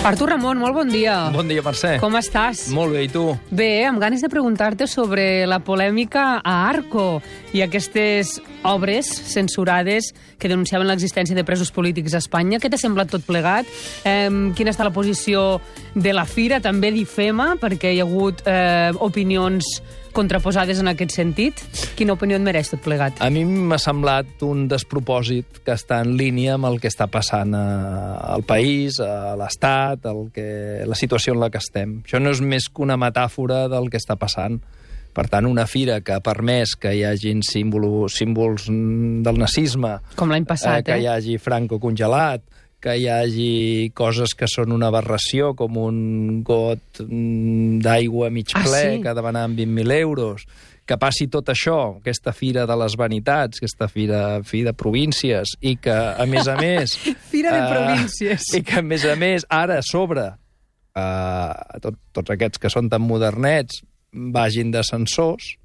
Artur Ramon, molt bon dia. Bon dia, Mercè. Com estàs? Molt bé, i tu? Bé, amb ganes de preguntar-te sobre la polèmica a Arco i aquestes obres censurades que denunciaven l'existència de presos polítics a Espanya. Què t'ha semblat tot plegat? Quina està la posició de la Fira? També d'IFEMA, perquè hi ha hagut opinions contraposades en aquest sentit. Quina opinió et mereix tot plegat? A mi m'ha semblat un despropòsit que està en línia amb el que està passant al país, a l'Estat, la situació en la que estem. Això no és més que una metàfora del que està passant. Per tant, una fira que ha permès que hi hagin símbols del nazisme, com l'any passat, que hi hagi Franco congelat, que hi hagi coses que són una aberració, com un got d'aigua mig ple, sí? que demanaven 20.000 euros, que passi tot això, aquesta fira de les vanitats, aquesta fira de províncies, i que, a més a més... Fira de províncies. I que, a més, ara, a sobre, tots aquests que són tan modernets vagin de censors,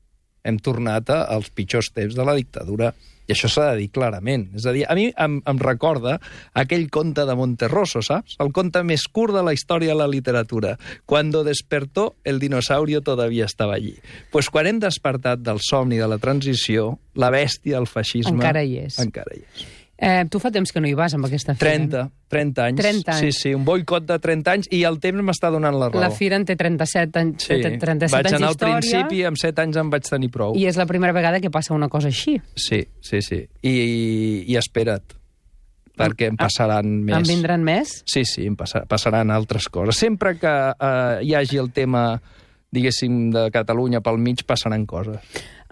hem tornat als pitjors temps de la dictadura. I això s'ha de dir clarament. És a dir, a mi em recorda aquell conte de Monterroso, saps? El conte més curt de la història de la literatura. Cuando despertó, el dinosaurio todavía estaba allí. Pues quan hem despertat del somni de la transició, la bèstia, el feixisme... Encara hi és. Encara hi és. Tu fa temps que no hi vas amb aquesta fira. 30 anys. 30 anys. Sí, un boicot de 30 anys i el temps m'està donant la raó. La fira en té 37 anys, sí. 37 anys vaig anar al d'història. principi i amb 7 anys em vaig tenir prou. I és la primera vegada que passa una cosa així. Sí. I espera't, perquè en passaran més. En vindran més? Sí, em passaran altres coses. Sempre que hi hagi el tema, diguéssim, de Catalunya pel mig, passaran coses.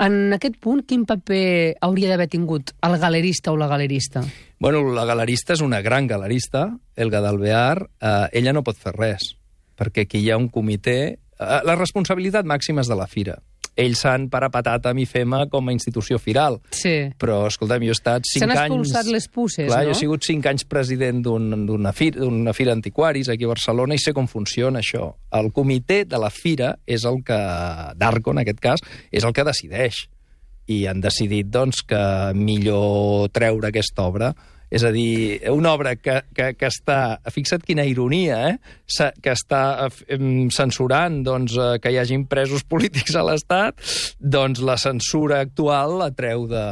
En aquest punt, quin paper hauria d'haver tingut el galerista o la galerista? Bueno, la galerista és una gran galerista, Elga d'Alvear. Ella no pot fer res, perquè aquí hi ha un comitè... La responsabilitat màxima és de la Fira. Ells s'han parapetat amb IFEMA com a institució firal. Sí. Però, escolta'm, jo he estat 5 anys... S'han expulsat les puces, clar, no? Jo he sigut 5 anys president d'una fira antiquaris aquí a Barcelona i sé com funciona això. El comitè de la Fira és el que, d'Arco en aquest cas, és el que decideix. I han decidit, doncs, que millor treure aquesta obra. És a dir, una obra que està, fixa't quina ironia, que està censurant doncs, que hi hagin presos polítics a l'Estat, doncs la censura actual la treu de...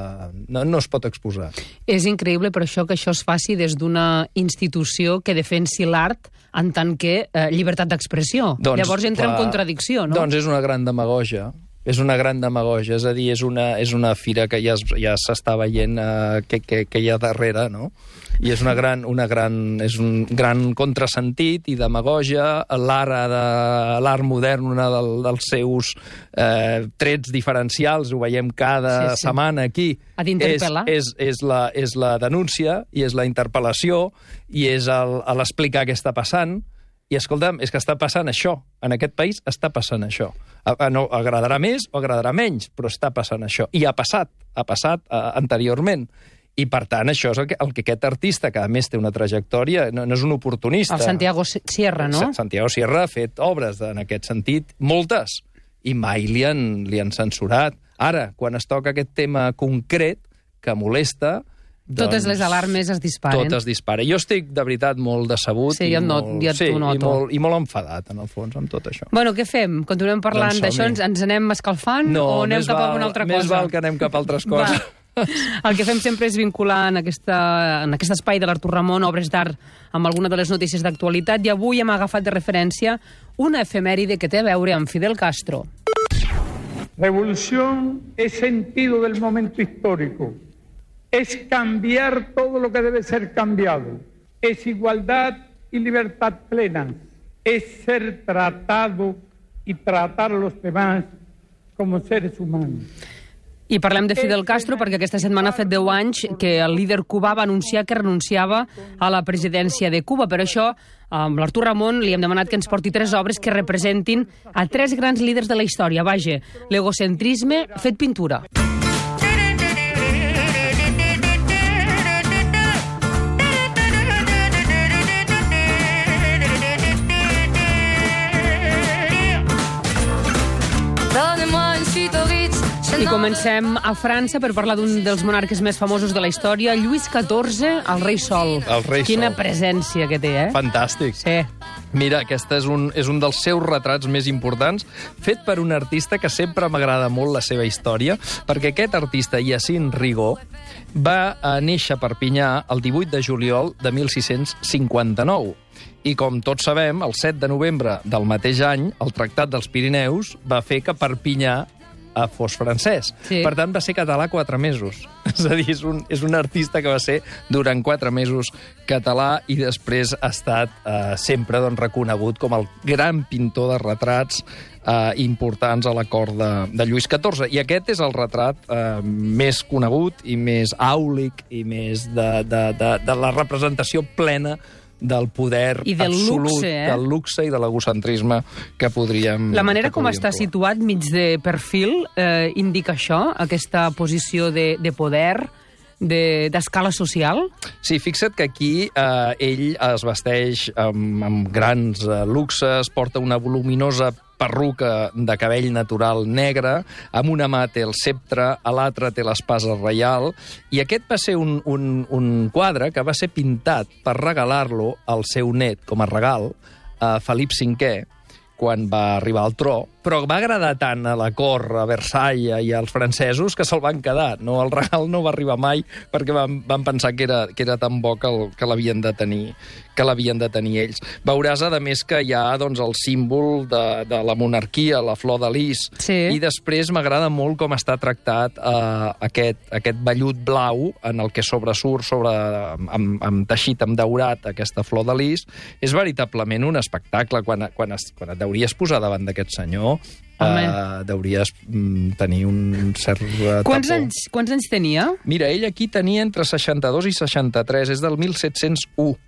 No es pot exposar. És increïble, per això, que això es faci des d'una institució que defensi l'art en tant que llibertat d'expressió. Doncs, llavors entra en contradicció, no? Doncs és una gran demagogia. És una gran demagogia, és a dir, és una fira que ja s'està veient que hi ha darrere, no? I és és un gran contrasentit i demagogia. L'art modern, una dels seus trets diferencials, ho veiem cada setmana aquí, és la denúncia i és la interpel·lació i és l'explicar què està passant. I, escolta'm, és que està passant això. En aquest país està passant això. No agradarà més o agradarà menys, però està passant això. I ha passat anteriorment. I, per tant, això és el que aquest artista, que a més té una trajectòria, no és un oportunista. El Santiago Sierra, no? Santiago Sierra ha fet obres en aquest sentit, moltes, i mai li han censurat. Ara, quan es toca aquest tema concret, que molesta... Totes les alarmes es disparen. Tot es dispara. Jo estic, de veritat, molt decebut i molt enfadat, en el fons, amb tot això. Bueno, què fem? Continuem parlant d'això? Ens anem escalfant o anem cap a una altra cosa? Més val que anem cap a altres coses. El que fem sempre és vincular en aquest espai de l'Artur Ramon obres d'art amb alguna de les notícies d'actualitat, i avui hem agafat de referència una efemèride que té a veure amb Fidel Castro. Revolución es sentido del momento histórico. Es cambiar todo lo que debe ser cambiado. Es igualdad y libertad plena. Es ser tratado y tratar a los demás como seres humanos. I parlem de Fidel Castro perquè aquesta setmana ha fet 10 anys que el líder cubà va anunciar que renunciava a la presidència de Cuba. Per això, amb l'Artur Ramon li hem demanat que ens porti 3 obres que representin a 3 grans líders de la història. Vaja, l'egocentrisme fet pintura. Donnez-moi une suite au Ritz, je I comencem a França per parlar d'un dels monarques més famosos de la història, Lluís XIV, el rei Sol. El rei Quina Sol. presència que té, eh? Fantàstic. Sí. Mira, aquest és un dels seus retrats més importants, fet per un artista que sempre m'agrada molt la seva història, perquè aquest artista, Hyacinthe Rigaud, va néixer a Perpinyà el 18 de juliol de 1659. I com tots sabem, el 7 de novembre del mateix any, el Tractat dels Pirineus va fer que Perpinyà fos francès. Sí. Per tant, va ser català 4 mesos. És a dir, és un artista que va ser durant 4 mesos català i després ha estat sempre reconegut com el gran pintor de retrats importants a la cort de Lluís XIV. I aquest és el retrat més conegut i més àulic i més de la representació plena del poder I del absolut, luxe, del luxe i de l'egocentrisme que podríem... La manera com està trobar. situat mig de perfil indica això, aquesta posició de poder, d'escala social? Sí, fixa't que aquí ell es vesteix amb grans luxes, porta una voluminosa perruca de cabell natural negre, amb una mà té el ceptre, a l'altra té l'espasa reial, i aquest va ser un quadre que va ser pintat per regalar-lo al seu net com a regal, a Felip V, quan va arribar al tro, però va agradar tant a la cort, a Versailles i als francesos que se'l van quedar. No, el regal no va arribar mai perquè van pensar que era tan bo que l'havien de tenir ells. Veuràs, a més, que hi ha doncs, el símbol de la monarquia, la flor de lis, Sí. i després m'agrada molt com està tractat aquest vellut blau en el que sobresurt amb teixit amb daurat aquesta flor de lis. És veritablement un espectacle. Quan et deuries posar davant d'aquest senyor, deuries tenir un cert Quants tapó. quants anys tenia? Mira, ell aquí tenia entre 62 i 63, és del 1701,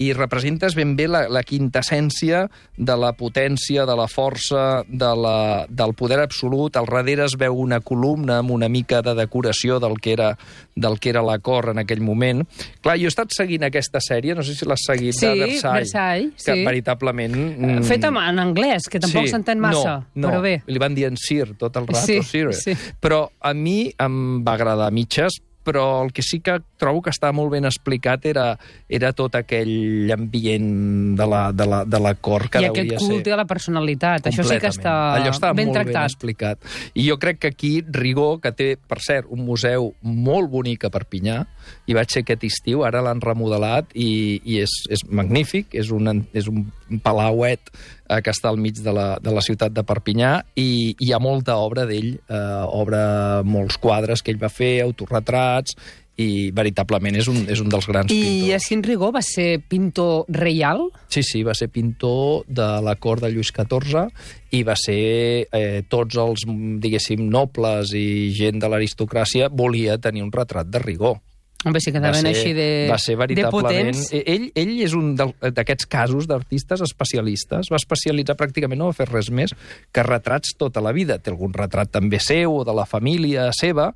i representes ben bé la quintessència de la potència, de la força, del poder absolut. Al darrere es veu una columna amb una mica de decoració del que era la cort en aquell moment. Clar, jo he estat seguint aquesta sèrie, no sé si l'has seguit, Sí, de Versailles, sí. que veritablement... Fet en anglès, que tampoc s'entén massa, no, però bé. Li van dir en Sir tot el rato, Sí, Sir. sí. Però a mi em va agradar a mitges, però el que sí que trobo que està molt ben explicat era tot aquell ambient de la cort que I hauria aquest culte a la personalitat, això sí que està allò està ben molt ben tractat. explicat. I jo crec que aquí Rigaud, que té, per cert, un museu molt bonic a Perpinyà, i vaig ser aquest estiu, ara l'han remodelat i és magnífic, és un palauet que està al mig de la ciutat de Perpinyà, i hi ha molta obra d'ell, obre molts quadres que ell va fer, autorretrats, i veritablement és un dels grans pintors. I Hyacinthe Rigaud va ser pintor reial? Sí, va ser pintor de la cort de Lluís XIV i va ser tots els, diguéssim, nobles i gent de l'aristocràcia volia tenir un retrat de Rigaud. Home, sí que anaven així va ser veritablement... potents. Ell és un d'aquests casos d'artistes especialistes. Va especialitzar pràcticament, no va fer res més que retrats tota la vida. Té algun retrat també seu o de la família seva,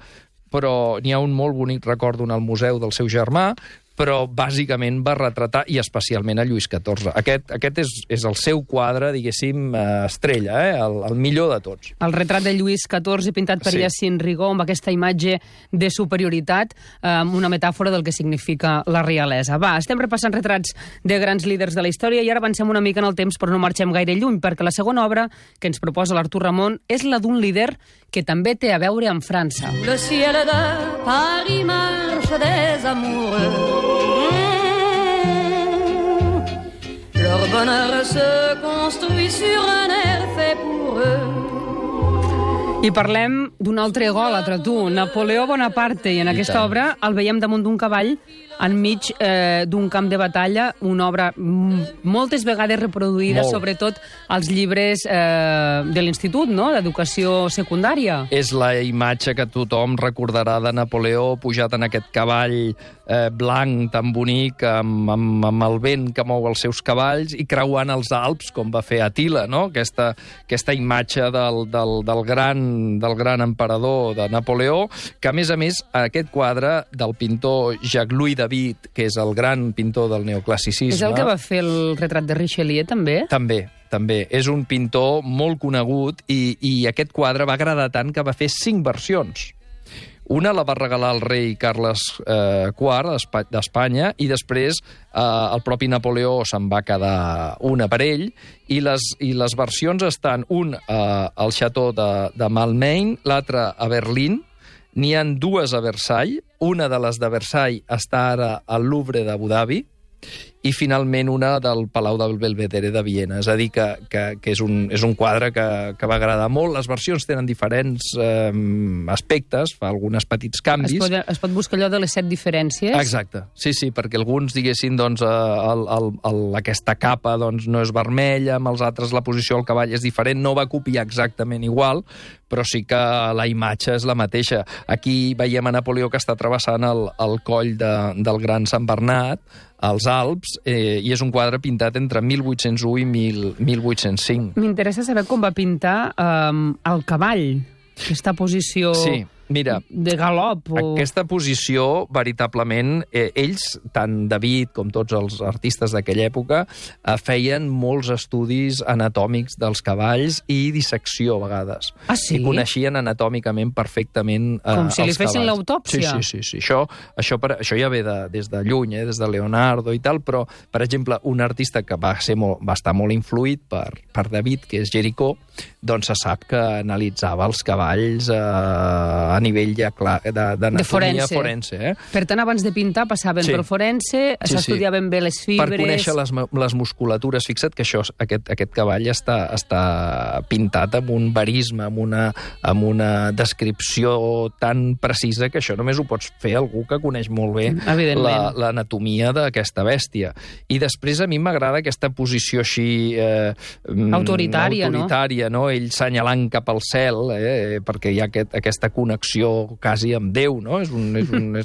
però n'hi ha un molt bonic, recordo, al museu del seu germà, però bàsicament va retratar, i especialment a Lluís XIV. Aquest és el seu quadre, diguéssim, estrella, el millor de tots. El retrat de Lluís XIV pintat per Hyacinthe Rigaud amb aquesta imatge de superioritat, una metàfora del que significa la realesa. Va, estem repassant retrats de grans líders de la història i ara avancem una mica en el temps, però no marxem gaire lluny, perquè la segona obra que ens proposa l'Artur Ramon és la d'un líder que també té a veure amb França. Le ciel de Paris marche des amoureux. Leur bonheur se construit sur un air fait pour eux. I parlem d'un altre egòlatre, tu, Napoleó Bonaparte, i en aquesta obra el veiem damunt d'un cavall enmig d'un camp de batalla, una obra moltes vegades reproduïda, sobretot als llibres de l'institut, no?, d'educació secundària. És la imatge que tothom recordarà de Napoleó pujat en aquest cavall blanc tan bonic, amb el vent que mou els seus cavalls i creuant els Alps, com va fer Attila, no?, aquesta imatge del gran del gran emperador de Napoleó, que, a més, aquest quadre del pintor Jacques-Louis David, que és el gran pintor del neoclassicisme... És el que va fer el retrat de Richelieu, també? També. És un pintor molt conegut i aquest quadre va agradar tant que va fer 5 versions. Una la va regalar el rei Carles IV d'Espanya i després el propi Napoleó se'n va quedar una per ell i les versions estan al Chateau de Malmaine, l'altra a Berlín, n'hi ha 2 a Versailles, una de les de Versailles està ara al Louvre d'Abu Dhabi i finalment una del Palau del Belvedere de Viena. És a dir, que és un quadre que va agradar molt. Les versions tenen diferents aspectes, fa alguns petits canvis. Es pot buscar allò de les 7 diferències? Exacte, sí, perquè alguns diguessin doncs, aquesta capa doncs, no és vermella, amb els altres la posició del cavall és diferent, no va copiar exactament igual, però sí que la imatge és la mateixa. Aquí veiem a Napoleó que està travessant el coll del Gran Sant Bernat, als Alps, i és un quadre pintat entre 1801 i 1805. M'interessa saber com va pintar el cavall, aquesta posició... Sí. Mira, de galop. Aquesta posició, veritablement, ells, tant David com tots els artistes d'aquella època, feien molts estudis anatòmics dels cavalls i dissecció, a vegades. Ah, sí? I coneixien anatòmicament perfectament els cavalls. Com si li fessin l'autòpsia. Sí. Això ja ve des de lluny, des de Leonardo i tal, però, per exemple, un artista que va estar molt influït per David, que és Géricault, doncs se sap que analitzava els cavalls a nivell ja clar d'anatomia forense. Per tant, abans de pintar passaven pel forense, s'estudiaven bé les fibres... Per conèixer les musculatures. Fixa't que aquest cavall està pintat amb un verisme, amb una descripció tan precisa que això només ho pots fer algú que coneix molt bé l'anatomia d'aquesta bèstia. I després a mi m'agrada aquesta posició així... autoritària, no? Ell senyalant cap al cel, perquè hi ha aquesta connexió quasi amb Déu, no? És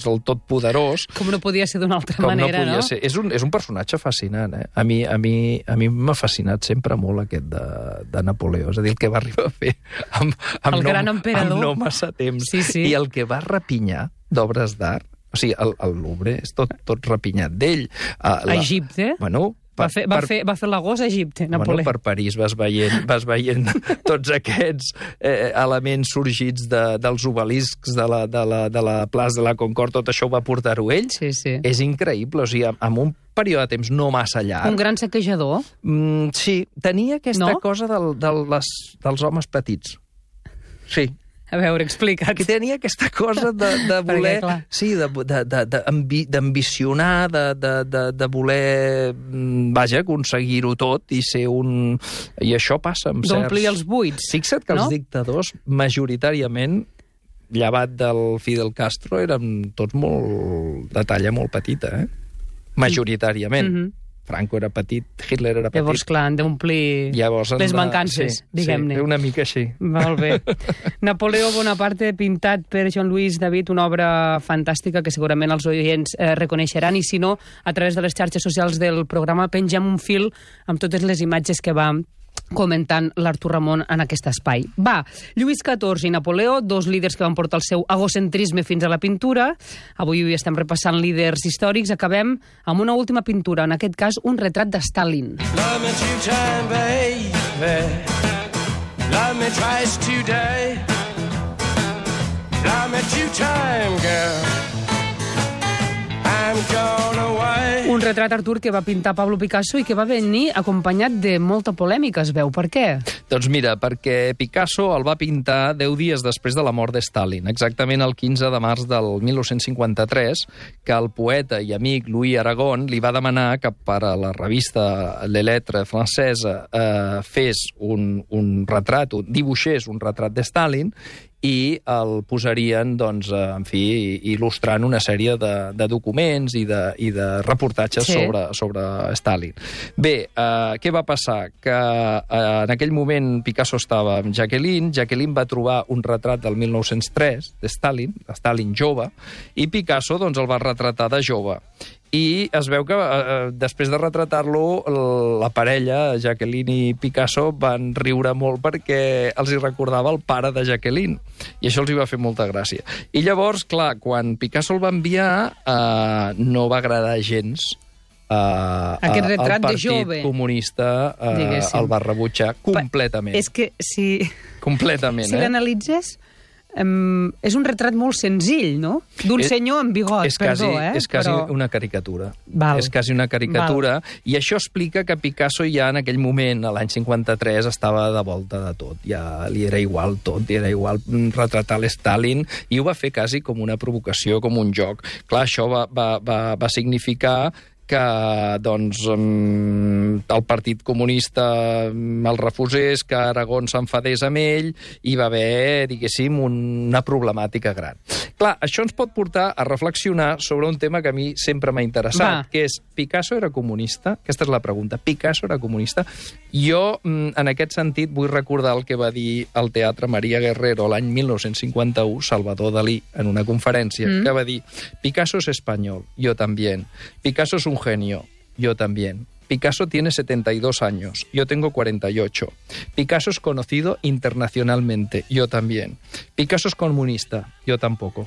el totpoderós. Com no podia ser d'una altra manera, no? És un personatge fascinant, A mi m'ha fascinat sempre molt aquest de Napoleó. És a dir, el que va arribar a fer el gran emperador. Amb no massa temps. Sí. I el que va rapinyar d'obres d'art, o sigui, el Louvre és tot rapinyat d'ell. A Egipte? Bueno... Va fer l'agost a Egipte, Napoleó. Bueno, per París vas veient tots aquests elements sorgits dels obeliscs de la plaça de la Concorde, tot això ho va portar-ho ell. Sí. És increïble, o sigui, en un període de temps no massa llarg... Un gran saquejador? Sí, tenia aquesta cosa dels homes petits. Sí. A veure, explica't. Que tenia aquesta cosa de voler... Sí, d'ambicionar, de voler, aconseguir-ho tot i ser un... I això passa amb certs... D'omplir els buits. Fixa't que els dictadors, majoritàriament, llevat del Fidel Castro, eren tots molt de talla molt petita, Majoritàriament. Franco era petit, Hitler era petit. Llavors, clar, han d'omplir les mancances, diguem-ne. Sí, una mica així. Molt bé. Napoleó Bonaparte, pintat per Jean-Louis David, una obra fantàstica que segurament els oients reconeixeran, i si no, a través de les xarxes socials del programa pengem un fil amb totes les imatges que va comentant l'Artur Ramon en aquest espai. Va, Lluís XIV i Napoleó, dos líders que van portar el seu egocentrisme fins a la pintura. Avui estem repassant líders històrics. Acabem amb una última pintura, en aquest cas un retrat de Stalin. Love me two-time, baby. Love me twice today. Love me two-time, girl. I'm gone away. Un retrat, Artur, que va pintar Pablo Picasso i que va venir acompanyat de molta polèmica, es veu. Per què? Doncs mira, perquè Picasso el va pintar 10 dies després de la mort de Stalin, exactament el 15 de març del 1953, que el poeta i amic Louis Aragon li va demanar que per a la revista Les Lettres francesa fes un retrat, dibuixés un retrat de Stalin, i el posarien, doncs, en fi, il·lustrant una sèrie de documents i de reportatges sobre Stalin. Bé, què va passar? Que en aquell moment Picasso estava amb Jacqueline va trobar un retrat del 1903 de Stalin jove, i Picasso doncs, el va retratar de jove. I es veu que després de retratar-lo, la parella, Jacqueline i Picasso, van riure molt perquè els hi recordava el pare de Jacqueline. I això els hi va fer molta gràcia. I llavors, clar, quan Picasso el va enviar, no va agradar gens. Aquest retrat de jove. El Partit Comunista el va rebutjar completament. És que si... Completament, si l'analitzes... és un retrat molt senzill, no? D'un senyor amb bigot, és quasi una caricatura. És quasi una caricatura. I això explica que Picasso ja en aquell moment, a l'any 53, estava de volta de tot. Ja li era igual tot, li era igual retratar l'Stalin, i ho va fer quasi com una provocació, com un joc. Clar, això va significar que doncs, el Partit Comunista el refusés, que Aragón s'enfadés amb ell, i va haver, diguéssim, una problemàtica gran. Clar, això ens pot portar a reflexionar sobre un tema que a mi sempre m'ha interessat, que és, Picasso era comunista? Aquesta és la pregunta. Picasso era comunista? Jo, en aquest sentit, vull recordar el que va dir al Teatre Maria Guerrero l'any 1951, Salvador Dalí, en una conferència, que va dir: Picasso es español, yo también. Picasso es un genio, yo también. Picasso tiene 72 años, yo tengo 48. Picasso es conocido internacionalmente, yo también. Picasso es comunista, yo tampoco.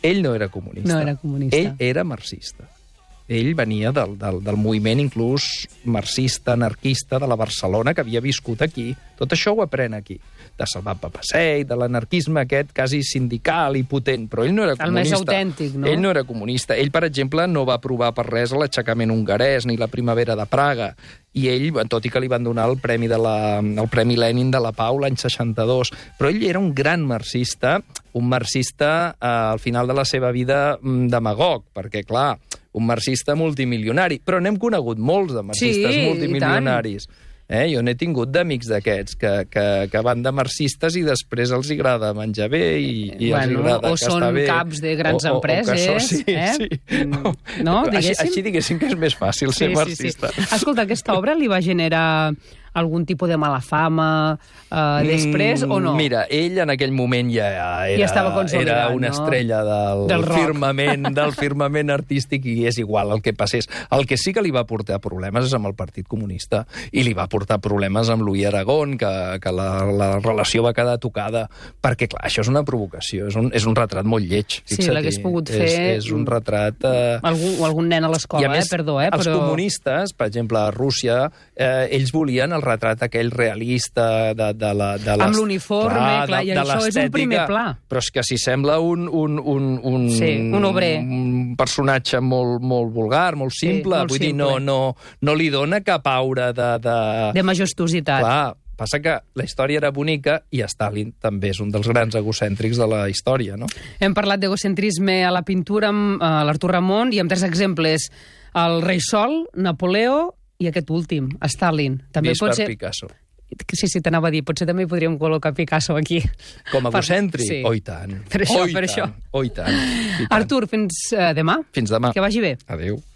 Ell no era comunista. No era comunista. Ell era marxista. Ell venia del moviment inclús marxista, anarquista de la Barcelona, que havia viscut aquí. Tot això ho aprèn aquí. De Salvat Papasseit, de l'anarquisme aquest quasi sindical i potent, però ell no era comunista. El més autèntic, no? Ell no era comunista. Ell, per exemple, no va aprovar per res l'aixecament hongarès ni la primavera de Praga. I ell, tot i que li van donar el Premi Lenin de la Pau l'any 62, però ell era un gran marxista, al final de la seva vida demagog, perquè, clar, un marxista multimilionari, però n'hem conegut molts de marxistes multimilionaris. Jo n'he tingut d'amics d'aquests que van de marxistes i després els agrada menjar bé i els agrada gastar bé. O són caps de grans empreses. No, diguéssim? Així diguéssim que és més fàcil ser marxista. Escolta, aquesta obra li va generar algun tipus de mala fama després o no? Mira, ell en aquell moment ja era una estrella del firmament artístic, i és igual el que passés. El que sí que li va portar problemes és amb el Partit Comunista, i li va portar problemes amb Louis Aragón, que la relació va quedar tocada, perquè, clar, això és una provocació, és un retrat molt lleig. Sí, l'hagués pogut fer... És un retrat... Algun nen a l'escola, perdó, però... Els comunistes, per exemple, a Rússia, ells volien el retrat aquell realista de amb l'uniforme, clar, i això és un primer pla. Però és que si sembla un obrer, un personatge molt vulgar, molt simple, vull dir, no li dona cap aura de majestuositat. Clar, passa que la història era bonica i Stalin també és un dels grans egocèntrics de la història, no? Hem parlat d'egocentrisme a la pintura amb l'Artur Ramon i amb 3 exemples: el Rei Sol, Napoleó i aquest últim, Stalin. També vist per Picasso. Sí, t'anava a dir, potser també podríem col·locar Picasso aquí. Com a egocèntric? Sí. Oh, i tant. Per això. Oh, i tant. Artur, fins demà. Fins demà. Que vagi bé. Adéu.